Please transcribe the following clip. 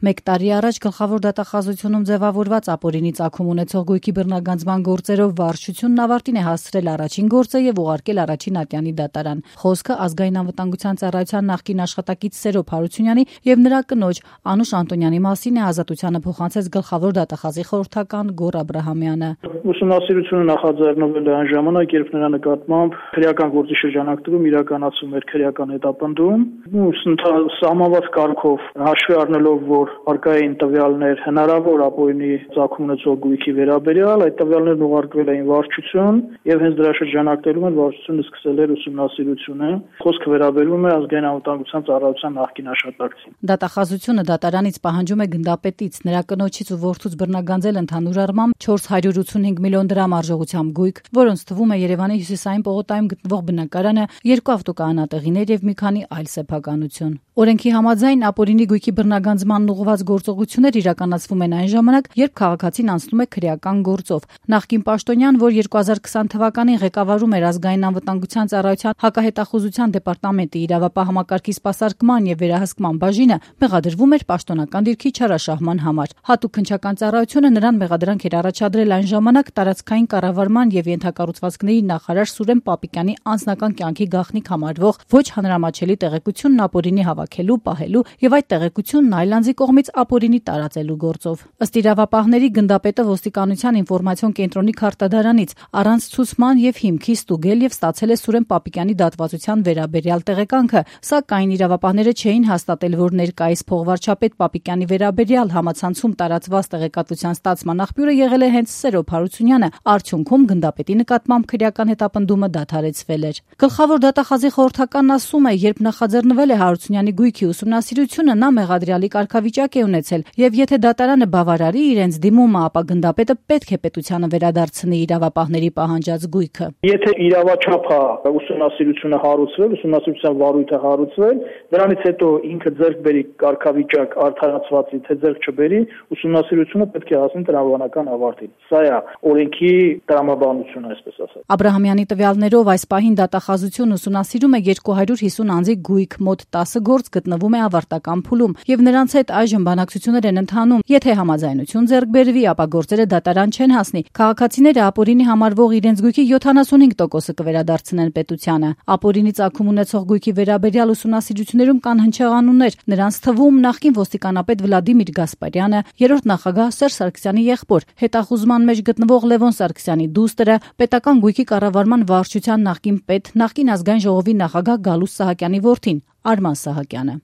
1 տարի առաջ գլխավոր դատախազությունում ձևավորված ապօրինի ծագում ունեցող գույքի բռնագանձման գործերով վարչությունն ավարտին է հասցրել առաջին գործը եւ ուղարկել առաջին ատյանի դատարան։ Խոսքը ազգային անվտանգության ծառայության նախկին աշխատակից Սերո Փարությունյանի եւ նրա կնոջ Անուշ Անտոնյանի մասին է Ազատությանը փոխանցեց գլխավոր դատախազի խորհրդական Գոռ Աբրահամյանը։ Ուսումնասիրությունը նախաձեռնվել է այն ժամանակ, երբ նրա նկատմամբ քրեական գործի շրջանակներում իրականացում էր քրեական հետապնդում, սահմանված կարգով հաշվի առնելով, որ արկա էին տվյալներ հնարավոր ապօրինի ծագում ունեցող գույքի վերաբերյալ, այդ տվյալներն ուղարկվել էին վարչություն եւ հենց դրա շրջանակներում էլ վարչությունը սկսել էր ուսումնասիրությունը։ Խոսքը վերաբերում է ազգային անվտանգության ծառայության նախկին աշխատակցին։ Դատախազությունը դատարանից պահանջում է գնդապետից նրա կնոջից ու որդուց բռնագանձել ընդհանուր առմամբ 485 միլիոն դրամ արժողությամբ գույք, որոնց թվում է Երևանի հյուսիսային պողոտայում գտնվող բնակարանը, 2 ավտոկայանատեղիներ եւ մի քանի այլ սեփականություն։ Օրենքի համաձայն ապօրինի գույքի բռնագանձմանն ուղղված գործողություններ իրականացվում են այն ժամանակ, երբ քաղաքացին անցնում է քրեական գործով։ Նախկին պաշտոնյան, որ 2020 թվականին ղեկավարում էր ազգային անվտանգության ծառայության հակահետախուզության դեպարտամենտի իրավապահ համակարգի սպասարկման եւ վերահսկման բաժինը, մեղադրվում էր պաշտոնական դիրքի չարաշահման համար։ Հատուկ քննչական ծառայությունը նրան մեղադրանք էր առաջադրել այն ժամանակ տարածքային կառավարման եւ ենթակառուցվածքների նախարար Սուրեն Պապիկյանի անձնական կյանքի գաղտնիք համարվող ոչ հանրամատչելի տեղեկությունն ապօրինի հավաքելու, պահելու եւ այդ տեղեկությունն այլ անձի կողմից ապօրինի տարածելու գործով։ Ըստ իրավապահների գնդապետը ոստիկանության ինֆորմացիոն կենտրոնի քարտադարանից առանց ցուցման եւ հիմքի ստուգել եւ ստացել է Սուրեն Պապիկյանի դատվածության վերաբերյալ տեղեկանքը, սակայն իրավապահները չէին հաստատել, որ ներկայիս փոխվարչապետ Պապիկյանի վերաբերյալ համացանցում տարածված տեղեկատվության ստացման աղբյուրը եղել է հենց Սերո Փարությունյանը, արդյունքում գնդապետի նկատմամբ քրեական հետապնդումը դադարեցվել էր։ Գլխավոր դատախազի խորհրդականն ասում է, երբ նախաձեռնվել է Հարությունյանի գույքի ուսումնասիրությունը, նա մեղադրյալի կարգավիճակ է ունեցել եւ եթե դատարանը բավարարի իրենց դիմումը, ապա գնդապետը պետք է պետությանը վերադարձնի իրավապահների պահանջած գույքը։ Եթե իրավաչափը ուսումնասիրությունը հարուցվել, ուսումնասիրության վարույթը հարուցվել, դրանից հետո ինքը ձեռք բերի կարգավիճակ արդարացվածի, թե ձեռք չբերի, ուսումնասիրությունը պետք է հասնի տրամաբանական ավարտին։ Սա է օրենքի տրամաբանությունը, այսպես ասած։ Աբրահամյանի տվյալներով այս պահին դատախազությունը ուսումնասիրում է 250 անձի գույք, մոտ 10 գործ գտնվում է ավարտական փուլում եւ նրանց հետ այժմ բանակցություններ են ընթանում։ Եթե համաձայնություն ձեռք բերվի, ապա գործերը դատարան չեն հասնի։ Քաղաքացիները ապօրինի համարվող իրենց գույքի 75%-ը կվերադարձնեն պետությանը։ Ապօրինի ծագում ունեցող գույքի վերաբերյալ ուսումնասիրություններում կան հնչեղանուններ, նրանց թվում նախկին ոստիկանապետ Վլադիմիր Գասպարյանը, երրորդ նախագահ Սերժ Սարգսյանի եղբոր, հետախուզման մեջ գտնվող Լևոն Սարգսյանի դուստրը, պետական գույքի կառավարման վարչության նախկին պետ, նախկին ազգային ժողովի նախագահ Գալուստ Սահակյանի որդին Արման Սահակյանը։